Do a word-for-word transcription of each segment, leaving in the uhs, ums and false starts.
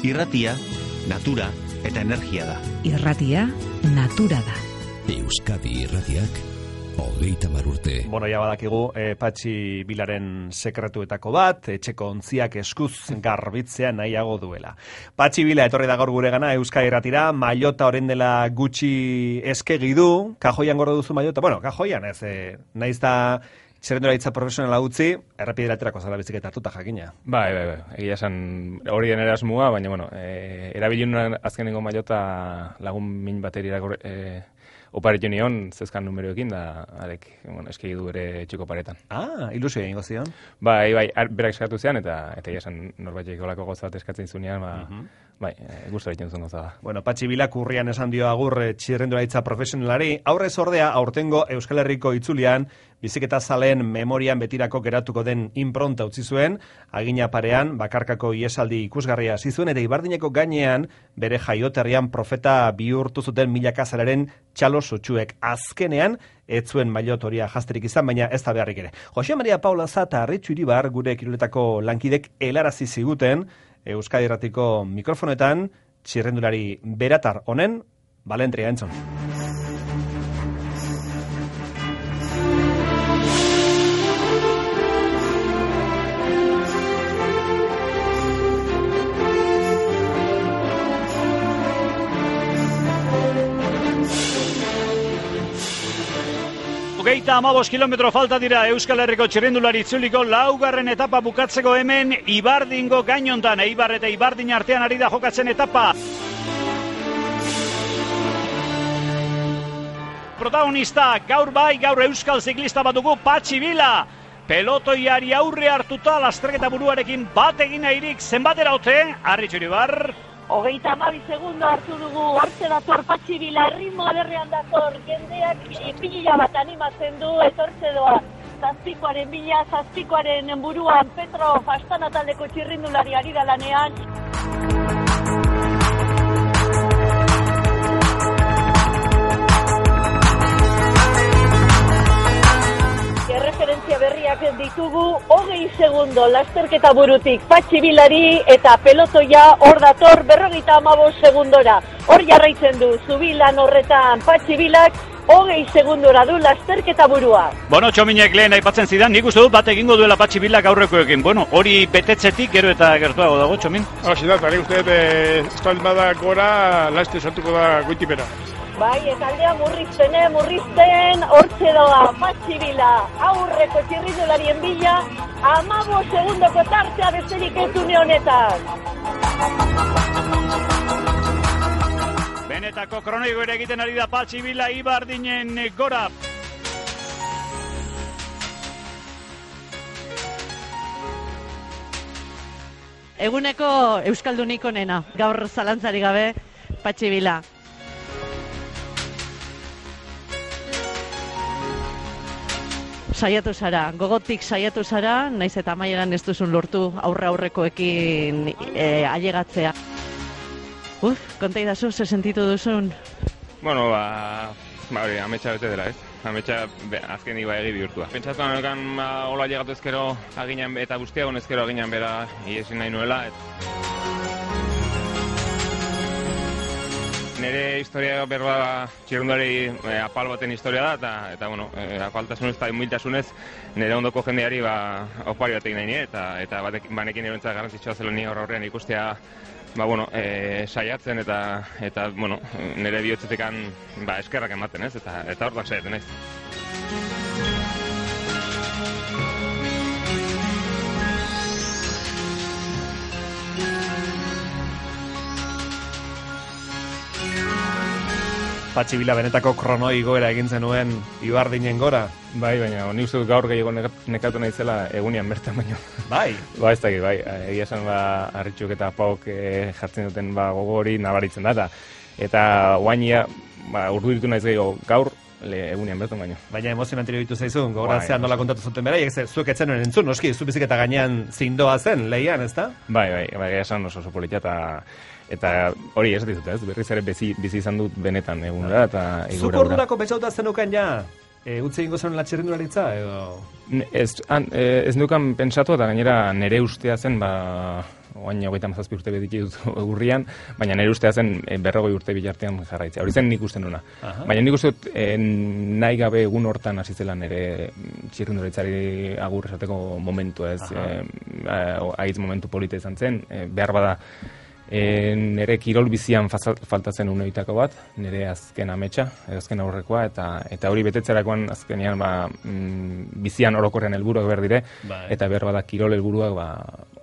Irratia, natura eta energia da. Irratia, natura da. Euskadi Irratiak, hogeita hamar urte. Bueno, ja badakigu, eh, Patxi Bilaren sekretuetako bat, etxeko ontziak eskuz garbitzea nahiago duela. Patxi Bila etorri da gaur guregana Euskadi Irratira, maillota orain dela gutxi eskegi du, kajoian gordo duzu maillota, bueno, kajoian ez, eh, naiz da txerrendularitza profesionala utzi, errepideraterako zara biziketa hartuta jakina. Bai, bai, bai, egia esan hori den erasmua, baina, bueno, e, erabiliun azkenengo maillota lagun min bateri e, oparitu nion, zezkan numeroekin, da, arek, bueno, eskegi du ere txiko paretan. Ah, ilusio egingo zion. Bai, bai, berak eskatu zean, eta eta egia esan norbaitek olako goza bat eskatzen zunean, ba, uh-huh. bai, e, guztora egiten zuen goza da. Bueno, Patxi Bilak urrian esan dio agur txirrendularitza profesionalari, aurrez ordea, aurtengo Euskal Herriko itzulian, biziketa zaleen memorian betirako geratuko den impronta utzi zuen, agina parean, bakarkako iesaldi ikusgarria hasi zuen, eta Ibardineko gainean, bere jaioterrian profeta bihurtu zuten milaka zalaren txalo sutsuek. Azkenean, ez zuen maillot horia jazterik izan, baina ez da beharrik ere. Jose Maria Paula Zata Arritxu Iribar, gure kiroletako lankidek helarazi ziguten, Euskadi Irratiko mikrofonetan, txirrendulari beratar honen, balentria entzun. Hogeita amabos kilometro falta dira Euskal Herriko txirrendulari itzuliko laugarren etapa bukatzeko hemen Ibardingo gainontan, Eibar eta Ibardin artean ari da jokatzen etapa. Protagonista gaur bai, gaur euskal ziklista bat dugu, Patxi Bila. Pelotoiari aurre hartuta lasterketa buruarekin bat egin nahirik zenbatera ote, Arritxu Iribar. Hogeita hamabi segundo hartu dugu, hortze dator Patxi Bila, ritmo aderrean dator, jendeak pilila bat animatzen du, etortze doa, zazpikoaren bila, zazpikoaren buruan, Petro Fastana taldeko txirrindulari ari da lanean. Erreferentzia berriak ditugu, hogei segundo lasterketa burutik Patxi Bilari eta pelotoia hor dator berrogeita hamabost segundora. Hor jarraitzen du, zubilan horretan Patxi Bilak, hogei segundora du lasterketa burua. Bueno, Txominek lehen aipatzen zidan, nik uste dut bat egingo duela Patxi Bilak aurrekoekin. Bueno, hori betetzetik gero eta gertuago dago, Txomin? Hasi da, eta nik uste dut, espalmada gora, laste sartuko da goitipera. Bai, eta aldea murrizten, eh, murrizten, hortxe doa, Patxi Bila, aurreko txirrindularien bila, hamabost segundoko tartea besterik ez une honetan. Benetako kronoigo ere egiten ari da Patxi Bila Ibardinen gora. Eguneko Euskaldunik onena, gaur zalantzari gabe, Patxi Bila. Saiatu zara, gogotik saiatu zara, naiz eta amaieran ez duzun lortu aurre aurrekoekin e, ailegatzea. Uf, konta idazu, ze sentitu duzun? Bueno, ba, ba hori, ametsa bete dela, ez? Ametsa azken iba egi bihurtua. Pentsatu anekan, ba, hola ailegatu ezkero aginan, eta guztiagon ezkero aginan bera iesin nahi nuela. Et... Nere historia berba txirrundari e, apal baten historia da, eta, eta bueno, e, apaltasunez eta humiltasunez nire ondoko jendeari ba, opari bat egin nahi nire, eta, eta batek, banekin erontzat garrantzitsua zelo ni horrean ikustea ba, bueno, e, saiatzen eta, eta bueno, nire bihotzetekan ba, eskerrak ematen, ez? Eta, eta hortan saiatzen, ez? Patxi Bila benetako kronoi goera egin zenuen Ibardinen gora. Bai, baina ni uste dut gaur gehiago nekatu naizela egunean bertan baino. Bai? Ba, ez dakit, bai. Egia esan ba, Arritxuk eta Pauk e, jartzen duten ba, gogo hori nabaritzen da. Eta guainia ba, urdu ditu naiz gehiago gaur le, egunean bertan baino. Baina emozionantero ditu zaizun, gogoratzean nola kontatu zuten bera, ez zuek etzen nuen entzun, noski, zu biziketa gainean zindoa zen, lehian, ez da? Bai, bai, bai, egia esan oso oso politia eta Eta hori ez dizut, ez? Berriz ere bizi, bizi izan dut benetan egunera eta igura. Zuk ordurako betxauta zenukan ja? E, utzi egingo zen txirrindularitza, edo? Ez, an, ez nukan pentsatu, eta gainera nire ustea zen, ba, oain hogeita hamazazpi urte beditut urrian, baina nire ustea zen berrogei urte bilartean jarraitzea. Hori zen nik uste nuna. Aha. Baina nik uste dut eh, nahi gabe egun hortan hasi zela nire txirrindularitzari agur esateko momentu, ez. Eh, Aitz momentu polita izan zen, eh, behar bada E, nire kirol bizian faltatzen uneitako bat, nire azken ametsa, azken aurrekoa, eta eta hori betetzerakoan azkenean ba, mm, bizian orokorrean helburuak behar dire, bai. Eta behar bada kirol helburuak ba,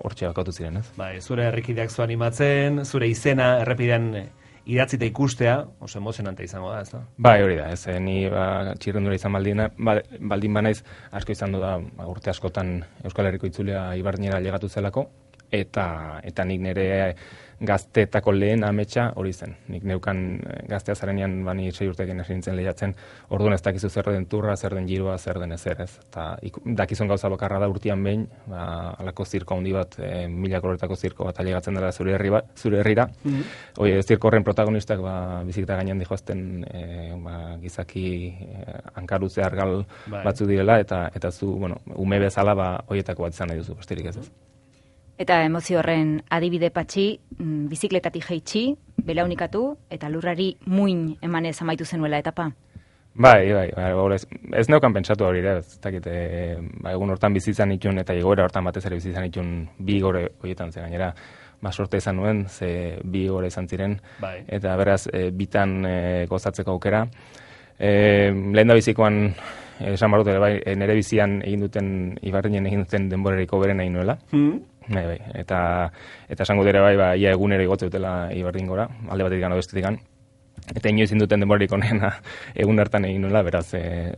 hortxe bakautu ziren, ez? Bai, zure herrikideak zu animatzen, zure izena errepidean idatzita ikustea, oso emozionante izango da, ez da? Bai, hori da, ez, ni ba, txirrindula izan baldin, ba, baldin banaiz, asko izan du da, ba, urte askotan Euskal Herriko itzulea Ibarnera llegatu zelako, eta eta nik nire gazteetako lehen ametsa hori zen. Nik neukan gaztea zarenean bani sei urtekin hasi nintzen lehiatzen, orduan ez dakizu zer den turra, zer den giroa, zer den ezer, ez. Eta dakizun gauza bakarra da urtean behin, ba, alako zirko handi bat, e, mila koloretako zirko bat ailegatzen dela zure herri ba, zure herrira. Mm-hmm. Hoi, zirko horren protagonistak ba, biziketa gainean dijoazten e, ba, gizaki e, hankarutze argal bai. Batzu direla, eta eta zu, bueno, ume bezala ba, hoietako bat izan nahi duzu, besterik ez ez. Eta emozio horren adibide Patxi, bizikletatik jaitsi, belaunikatu, eta lurrari muin emanez amaitu zenuela etapa. Bai, bai, bai ez, ez neukan pentsatu hori, ez dakit, e, ba, egun hortan bizitzan itun, eta igoera hortan batez ere bizitzan itun bi gore horietan, ze gainera, ba, sorte izan nuen, ze bi gore izan ziren, bai. Eta beraz, e, bitan e, gozatzeko aukera. E, lehen da bizikoan, esan barut ere, bai, nire bizian egin duten, Ibarrinen egin duten denboreriko beren egin nuela. Hmm. Bai, bai, eta eta esango dira bai, ba, ia egunero igotze dutela Ibardingora, alde batetik gano bestetik. Eta inoiz induten denborarik onena egun hartan egin nuela, beraz, e,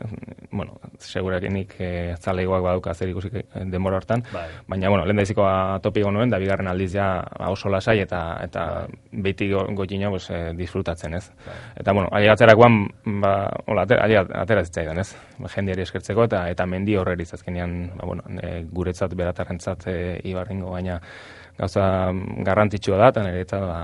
bueno, segurakenik e, zalegoak baduka zer ikusik denbora hartan, bai. Baina, bueno, lehen daizikoa topiko nuen, da bigarren aldiz ja oso lasai eta eta bai. Beti goitina pues, e, disfrutatzen, ez. Bai. Eta, bueno, ailegatzerakoan, ba, hola, atera zitzaidan, ez. Jendeari eskertzeko eta eta mendi horreri azkenean, ba, bueno, e, guretzat, beratarrentzat e, Ibarringo, baina gauza garrantzitsua da, eta nire eta, ba,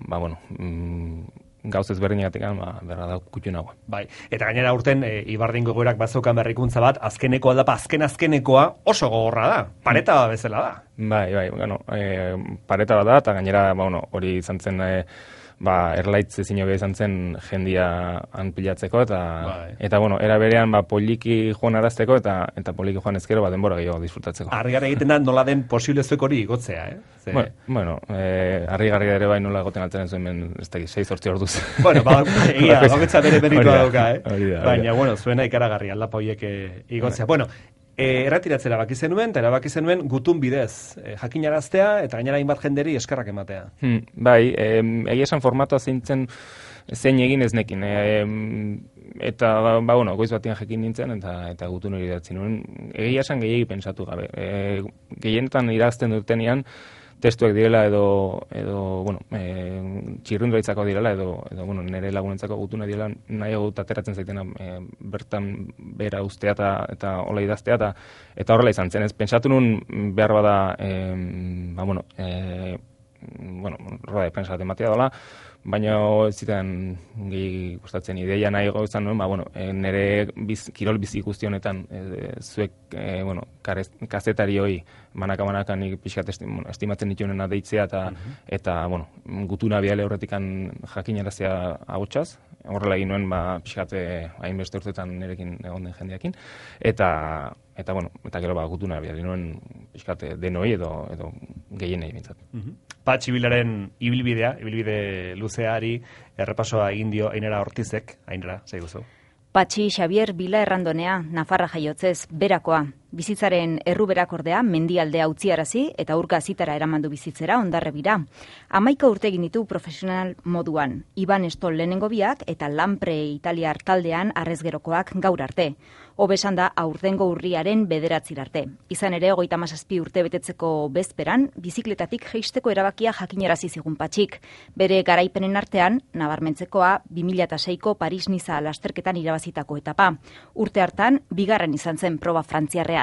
ba, bueno, mm, gauz ezberdinagatik ba, berra da kutxunagoa. Bai, eta gainera urten e, Ibardingo gorak bazokan berrikuntza bat, azkeneko aldapa, azken azkenekoa oso gogorra da, pareta bezala da. Bai, bai, bueno, e, pareta bat da, eta gainera, ba, bueno, hori izan zen, e, ba, erlaitz ezin hobe izan zen jendia anpilatzeko, eta, bai. Eta bueno, era berean, ba, poliki joan arazteko, eta eta poliki joan ezkero, ba, denbora gehiago disfrutatzeko. Argi-garri egiten da nola den posible zuek hori igotzea, eh? Ze... Bueno, bueno eh, argi-garri ere bai nola egoten altzen zuen, ben, ez da, sei zortzi orduz. Bueno, ba, egia, baketza bere meritua dauka, eh? Baina, bueno, zuena ikaragarri, aldapa horiek igotzea. Bueno, E, erratiratzera baki zenuen, eta erabaki zenuen gutun bidez, e, jakinaraztea eta gainera hainbat jenderi eskerrak ematea. Hmm, bai, e, egia esan formatua zeintzen zein egin ez nekin. E, eta, ba, bueno, goiz batian jekin nintzen, eta eta gutun hori datzen nuen. Egia esan gehiagi pensatu gabe. E, gehienetan irazten dutenean, testuak direla edo, edo bueno, e, txirrindularitzako direla edo, edo bueno, nire lagunentzako gutuna direla nahiago ateratzen zaitena e, bertan bera ustea eta, eta hola idaztea eta, eta horrela izan zen. Ez pentsatu nun behar bada e, ba, bueno, e, bueno, roda de prensa bat ematea dola, baina ez zitan gehi gustatzen ideia nahi gauzan nuen, ba, bueno, e, nire biz, kirol bizi guzti honetan e, zuek, e, bueno, karez, kazetari hoi manaka-manaka nik pixkat esti, bueno, estimatzen ditunena deitzea eta, uh-huh. eta bueno, gutuna biale horretikan jakinarazia agotxaz, horrela egin nuen, ba, pixkat hainbeste urtetan nirekin egon den jendeakin, eta eta bueno, eta gero ba, gutuna biale nuen pixkat denoi edo, edo gehienei bintzat. Uh-huh. Patxi Bilaren ibilbidea, ibilbide luzeari, errepasoa egin dio Ainara Ortizek, Ainara, zei guzu. Patxi Xabier Bila Errandonea, Nafarra jaiotzez, berakoa. Bizitzaren erruberak ordea, mendialdea utziarazi eta urka zitara eramandu bizitzera Hondarribira. Hamaika urte egin ditu profesional moduan. Iban Estol lehenengo biak eta Lampre Italiar taldean arrezgerokoak gaur arte. Hobesan da aurtengo urriaren bederatzir arte. Izan ere, hogeita hamazazpi urte betetzeko bezperan, bizikletatik jeisteko erabakia jakinarazi zigun Patxik. Bere garaipenen artean, nabarmentzekoa, bi mila seiko Paris-Niza lasterketan irabazitako etapa. Urte hartan, bigarren izan zen proba frantziarrean.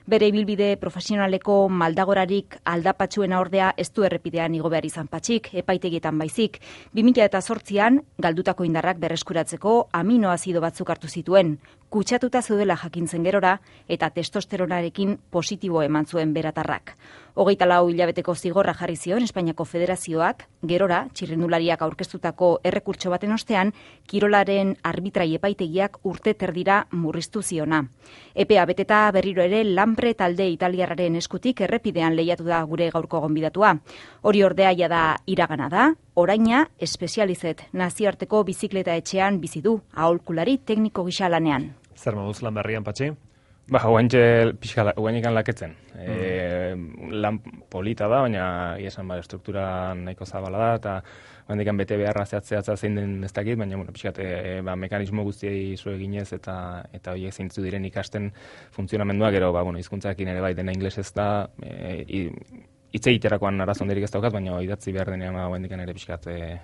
Bere ibilbide profesionaleko maldagorarik aldapatxuena ordea ez du errepidean igo behar izan Patxik, epaitegietan baizik. bi mila zortzian, galdutako indarrak berreskuratzeko aminoazido batzuk hartu zituen. kutsatuta zeudela jakintzen gerora eta testosteronarekin positibo eman zuen beratarrak. Hogeita lau hilabeteko zigorra jarri zion Espainiako Federazioak, gerora, txirrindulariak aurkeztutako errekurtso baten ostean, kirolaren arbitrai epaitegiak urte terdira murriztu ziona. Epea beteta berriro ere Lampre talde italiarraren eskutik errepidean lehiatu da gure gaurko gonbidatua. Hori ordea jada iragana da, oraina espezializet nazioarteko bizikleta etxean bizi du, aholkulari tekniko gisa lanean. Zer moduz lan berrian, Patxi? Ba, guaintxe pixka, guainikan laketzen. Mm. E, lan polita da, baina esan ba, struktura nahiko zabala da, eta guainikan bete beharra zehatzeatza zein den ez dakit, baina bueno, pixkat, e, ba, mekanismo guztiei zu eginez eta eta horiek zeintzu diren ikasten funtzionamendua, gero, ba, bueno, hizkuntzarekin ere bai dena inglesez da, e, hitz egiterakoan arazo handirik ez daukat, baina idatzi behar denean ba, guainikan ere pixkat, e,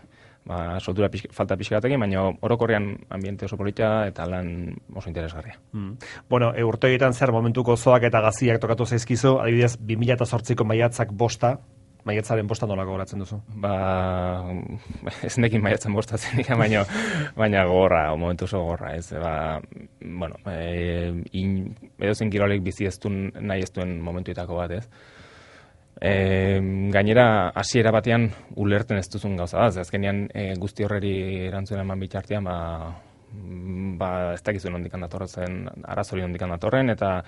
ba, soltura pixka, falta pixkatekin, baina orokorrean ambiente oso polita eta lan oso interesgarria. Mm. Bueno, e, urte egiten zer momentuko zoak eta gaziak tokatu zaizkizu, adibidez, bi mila zortziko maiatzak bosta, maiatzaren bosta nolako goratzen duzu? Ba, ez nekin maiatzen bosta zenik, baina, baina gogorra, momentu oso gogorra, ez, ba, bueno, e, in, edo zen kirolek bizi ez duen, nahi ez duen momentuetako bat, ez. E, gainera, hasiera batean ulerten ez duzun gauza da, ez azkenean e, guzti horreri erantzuna eman bitartean, ba, ba ez dakizu nondikan datorren, arazori nondikan datorren, eta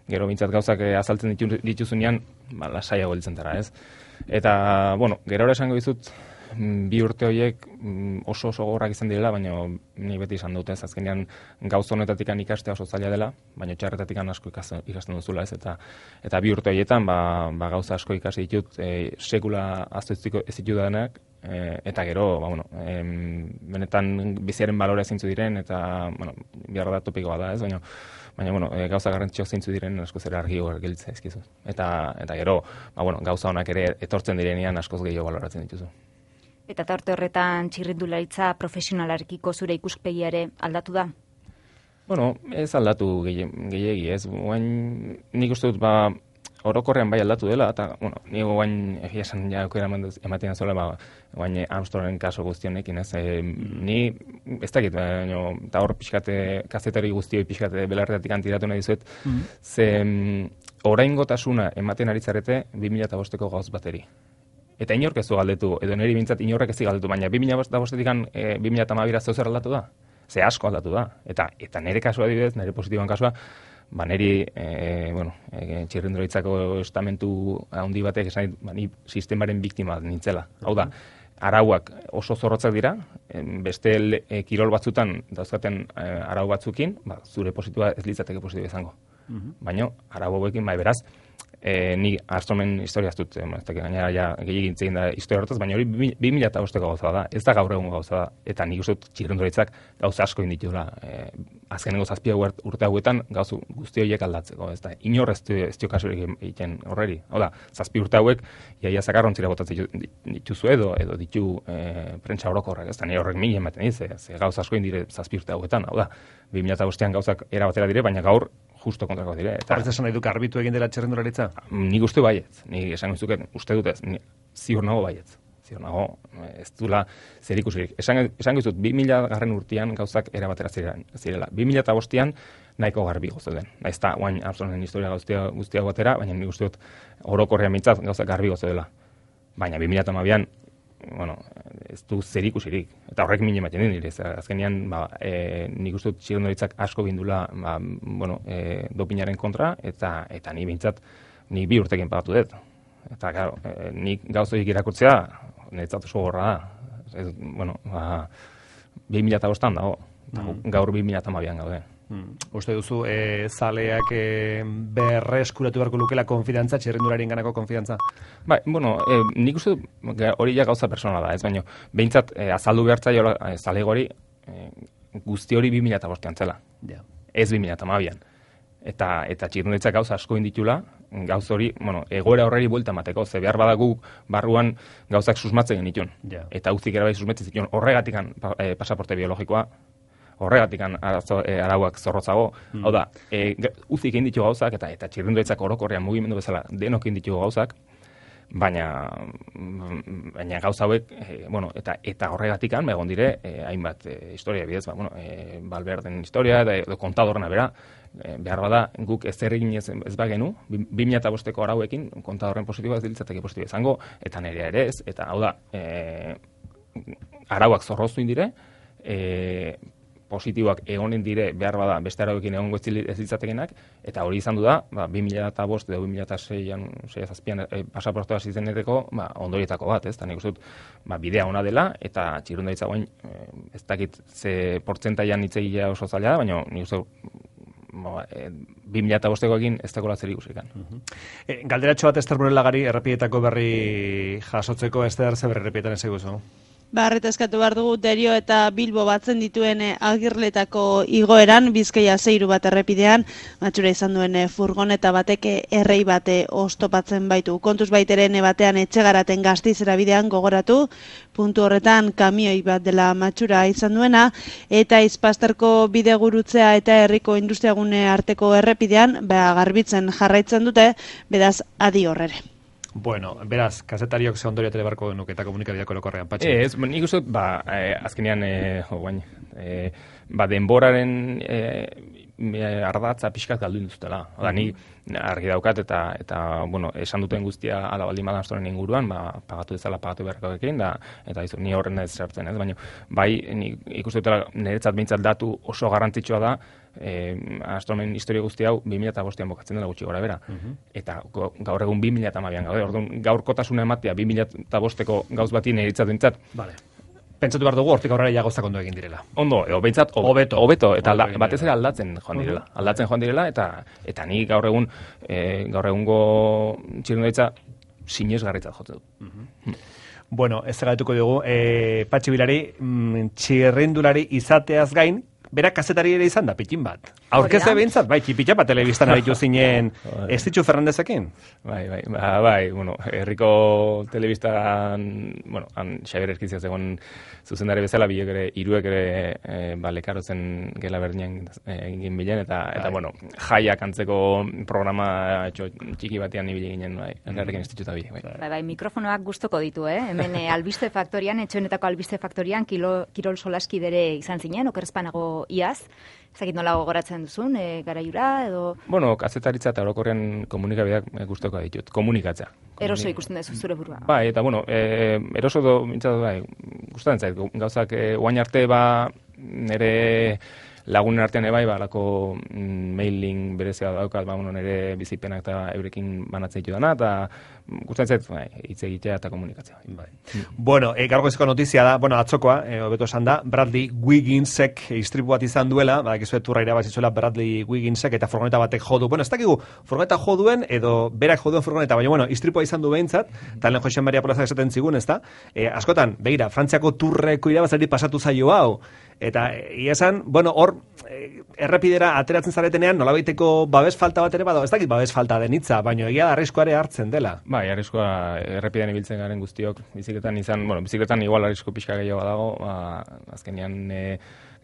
gero bintzat gauzak azaltzen ditu, dituzunean, ba, lasaiago hiltzen dara, ez. Eta, bueno, gero esango dizut, bi urte horiek oso oso gogorrak izan direla, baina ni beti izan dute, ez azkenean gauz honetatik ikastea oso zaila dela, baina txarretatik asko ikasten duzula, ez, eta eta bi urte horietan ba, ba gauza asko ikasi ditut, e, sekula aztu ez ditudanak, e, eta gero, ba, bueno, e, benetan biziaren balore zeintzu diren, eta, bueno, biharra da topikoa da, ez, baina baina, bueno, e, gauza garrantzitsuak zeintzu diren askoz ere argi gelditzen ezkizu. Eta, eta gero, ba, bueno, gauza honak ere etortzen direnean askoz gehiago baloratzen dituzu. Eta tarte horretan txirrindularitza profesionalarekiko zure ikuspegiare aldatu da? Bueno, ez aldatu gehiegi, ez. Guain, nik uste dut, ba, orokorrean bai aldatu dela, eta, bueno, nik guain egia esan ja aukera ematen zuela, ba, guain Armstrongen kaso guztionekin, ez. E, ni, ez dakit, baina, eta hor pixkate, kazetari guztioi pixkate belarretatik antiratu nahi dizuet, mm-hmm. ze oraingotasuna ematen ari zarete bi mila bosteko gauz bateri. Eta inork ez du galdetu, edo niri bintzat inorrek ez du galdetu, baina bi mila bostetik e, bi mila hamabira zeu zer aldatu da? Ze asko aldatu da. Eta, eta nire kasua adibidez, nire positiboan kasua, ba niri, e, bueno, e, txirrindularitzako estamentu handi batek esan, ba, ni sistemaren biktima nintzela. Hau da, arauak oso zorrotzak dira, beste e, kirol batzutan dauzkaten e, arau batzukin, ba, zure positiboa ez litzateke positibo izango. Uh-huh. Baina, arau hauekin, bai beraz, E, ni Armstrongen historiaz dut, ez dakit gainera ja gehiagintzen da historia horretaz, baina hori bi mila bosteko gauza da, ez da gaur egun gauza da, eta nik uste dut txirrindularitzak gauza asko inditula, e, azkenengo zazpia urte hauetan gauzu guzti horiek aldatzeko, ez da, inor ez dio kasurik egiten horreri, hau da, zazpi urte hauek, iaia zakarrontzira botatzen dituzu edo, edo ditu e, prentsa orokorrak, ez da, nire horrek mila ematen diz, ez gauza asko indire zazpi urte hauetan, hau da, bi mila bostean gauzak erabatera dire, baina gaur justo kontrako dire. Horrez esan nahi duk arbitu egin dela txirrindularitza? Nik uste baietz, nik esan guzuket, uste dut ez, ziur nago baietz. Ziur nago, ez dula zer ikusirik. Esan, esan guztut, bi mila garren urtean gauzak erabatera zirela. bi mila bostean nahiko garbi gozoden. Naiz eta guain Armstrongen historia guztia, guztia batera, baina nik uste dut orokorrean mintzat gauzak garbi gozodela. Baina bi mila hamabian, bueno, ez du zer ikusirik. Eta horrek min ematen din nire. Azkenean, ba, e, nik uste dut txirrindularitzak asko bindula, ba, bueno, e, dopinaren kontra, eta eta ni bintzat, ni bi urtekin pagatu dut. Eta, claro, e, nik gauzoik irakurtzea, niretzat oso gorra da. Ez, bueno, ba, bi mila bostan dago, mm. gaur bi mila hamabian gaude. Hmm. Uste duzu, e, zaleak e, berreskuratu beharko lukela konfidantza, txirrindularien ganako konfidantza? Bai, bueno, e, nik uste hori ja gauza persona da, ez baino, behintzat e, azaldu behartzaio e, zale gori e, guzti hori bi mila bostean zela. Yeah. Ez bi mila hamabian. Eta, eta txirrindularitzak gauza asko inditula, gauz hori, bueno, egoera horreri buelta emateko, ze behar badagu barruan gauzak susmatzen genitun. Yeah. Eta uzik erabai susmatzen zituen horregatikan e, pasaporte biologikoa, horregatik arazo, e, arauak zorrotzago. Mm. Hau da, e, uzik egin ditu gauzak, eta eta txirrindularitzak orokorrean mugimendu bezala denok egin ditu gauzak, baina baina gauza hauek e, bueno, eta eta horregatikan ba, egon dire e, hainbat e, historia bidez, ba bueno, e, Valverden historia eta edo kontadorna bera, e, behar bada guk ez egin ez, ez bagenu bi mila bosteko arauekin kontadorren positiboa ez dilitzateke positibo izango eta nerea ere ez, eta hau da e, arauak zorroztu indire, e, positiboak egonen dire behar bada beste arauekin egongo ez ditzatekenak, eta hori izan du da, ba, bi mila bost edo bi mila seian, sei zazpian e, pasaportoa zizeneteko ba, ondorietako bat, ez? Eta nik uste dut ba, bidea ona dela, eta txirrundaritza guain, e, ez dakit ze portzentaian hitz egitea oso zaila da, baina nik uste dut e, bi mila bostekoekin ez dagoela zer ikusikan. Uh-huh. e, galderatxo bat Ester Burelagari errepietako berri jasotzeko Ester zer berri errepietan ez eguzu? Barreta eskatu behar dugu Derio eta Bilbo batzen dituen agirletako igoeran, Bizkaia zeiru bat errepidean, matxura izan duen furgoneta batek errei bate oztopatzen baitu. Kontuz baiteren batean etxegaraten Gastizera bidean gogoratu, puntu horretan kamioi bat dela matxura izan duena, eta Izpasterko bide gurutzea eta herriko industriagune arteko errepidean, ba, garbitzen jarraitzen dute, bedaz adi horrere. Bueno, beraz, kazetariok ze ondorio telebarko genuke eta komunikabideako lokorrean, Patxi? Ez, nik uste, ba, eh, azkenean, eh, oh, bain, eh, ba, denboraren eh, ardatza pixkat galdu induztela. Oda, ni argi daukat eta, eta bueno, esan duten guztia ala baldin badan astoren inguruan, ba, pagatu dezala pagatu beharrakoekin, da, eta izu, ni horren ez zertzen, ez? Baina, bai, ni ikuste dutela niretzat behintzat datu oso garrantzitsua da, eh, astronomen historia guzti hau bi mila bostean bokatzen dela gutxi gora bera. Uh-huh. Eta gaur egun bi mila hamabian gaude, orduan gaurkotasuna ematea bi mila bosteko gauz bati niretzat behintzat. Vale. Pentsatu behar dugu, hortik aurrera ja gauzak ondo egin direla. Ondo, edo behintzat, hobeto, hobeto, eta alda, batez ere aldatzen joan direla. Uh-huh. Aldatzen joan direla, eta eta ni gaur egun, e, gaur egungo txirrundaritza sinesgarritzat jotzen du. Uh-huh. Bueno, ez galetuko dugu, e, Patxi Bilari, mm, txirrindulari izateaz gain, berak kazetari ere izan da, pitin bat. Aurkezle behintzat, bai, tipitxa bat telebistan aritu zinen ez ditxu Fernandezekin? Bai, bai, ba, bai, bueno, herriko telebistan, bueno, han Xabier Erkizia zegoen zuzendari bezala, biek ere, iruek ere, e, ba, lekarotzen gela berdinean egin bilen, eta, eta, bueno, jaiak antzeko programa etxo, txiki batean ibili ginen, bai, engarrekin ez ditxuta bi, bai. Bai, bai, mikrofonoak gustoko ditu, eh? Hemen e, albiste faktorian, etxoenetako albiste faktorian, kilo, Kirol Solaskidere izan zinen, okerrezpanago iaz, ezakit nola gogoratzen duzun, e, garaiura, edo... Bueno, kazetaritza eta orokorrean komunikabideak gustoko ditut, komunikatzea. Eroso ikusten duzu zure burua. Bai, eta bueno, e, eroso do, mintzatu, bai, gustatzen zait, gauzak e, oain arte ba, nire lagunen artean ebai, ba, lako mm, mailing berezia daukat, ba, bueno, nire bizipenak eta eurekin banatzen ditu dana, eta gustatzen zait, bai, hitz egitea eta komunikatzea. Bai. Mm. Bueno, e, gaurko notizia da, bueno, atzokoa, e, hobeto esan da, Bradley Wigginsek istripu bat izan duela, badakizu turra irabazitzuela Bradley Wigginsek eta furgoneta batek jodu. Bueno, ez dakigu, furgoneta joduen edo berak joduen furgoneta, baina bueno, istripua izan du behintzat, talen Jose Maria Plaza esaten zigun, ezta? E, askotan, begira, Frantziako turreko irabazari pasatu zaio hau. Eta ia esan, bueno, hor e, errepidera ateratzen zaretenean nolabaiteko babes falta bat ere bado, ez dakit babes falta den hitza, baina egia da arriskoare hartzen dela. Bai, arriskoa errepidean ibiltzen garen guztiok, bizikletan izan, bueno, bizikletan igual arrisko pixka gehiago dago, ba, azkenean e,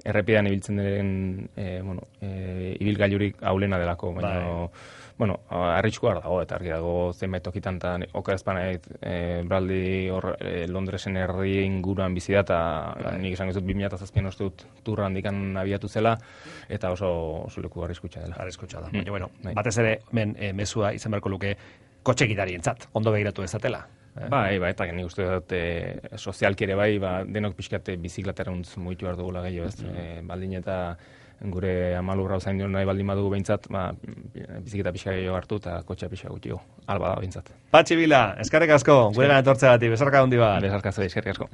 errepidean ibiltzen diren e, bueno, e, ibilgailurik aulena delako, baina bai. Bueno, arriskoa dago, eta argi dago zenbait tokitan, eta okerazpanait e, Bradley hor e, Londresen herri inguruan bizi da, eta bai. Nik esan gizut bi mila zazpian uste dut turra handikan abiatu zela, eta oso, oso leku arriskutsa dela. Arriskutsa da, baina, mm. bueno, bai. Batez ere, men, e, mezua izan beharko luke kotxe gidarientzat, ondo begiratu ezatela. Eh? Bai, bai, eta nik uste dut e, sozialki ere bai, ba, denok pixkate bizikletarauntz mugitu behar dugula gehiago, ez, mm. e, baldin eta gure amalurra uzain dion nahi baldin badugu behintzat, ba, bizikleta pixka gehiago hartu eta kotxea pixka gutxiago, alba da behintzat. Patxi Bila, eskerrik asko, gure gana etortzeagatik, besarka handi bat. Besarka zoi, eskerrik asko.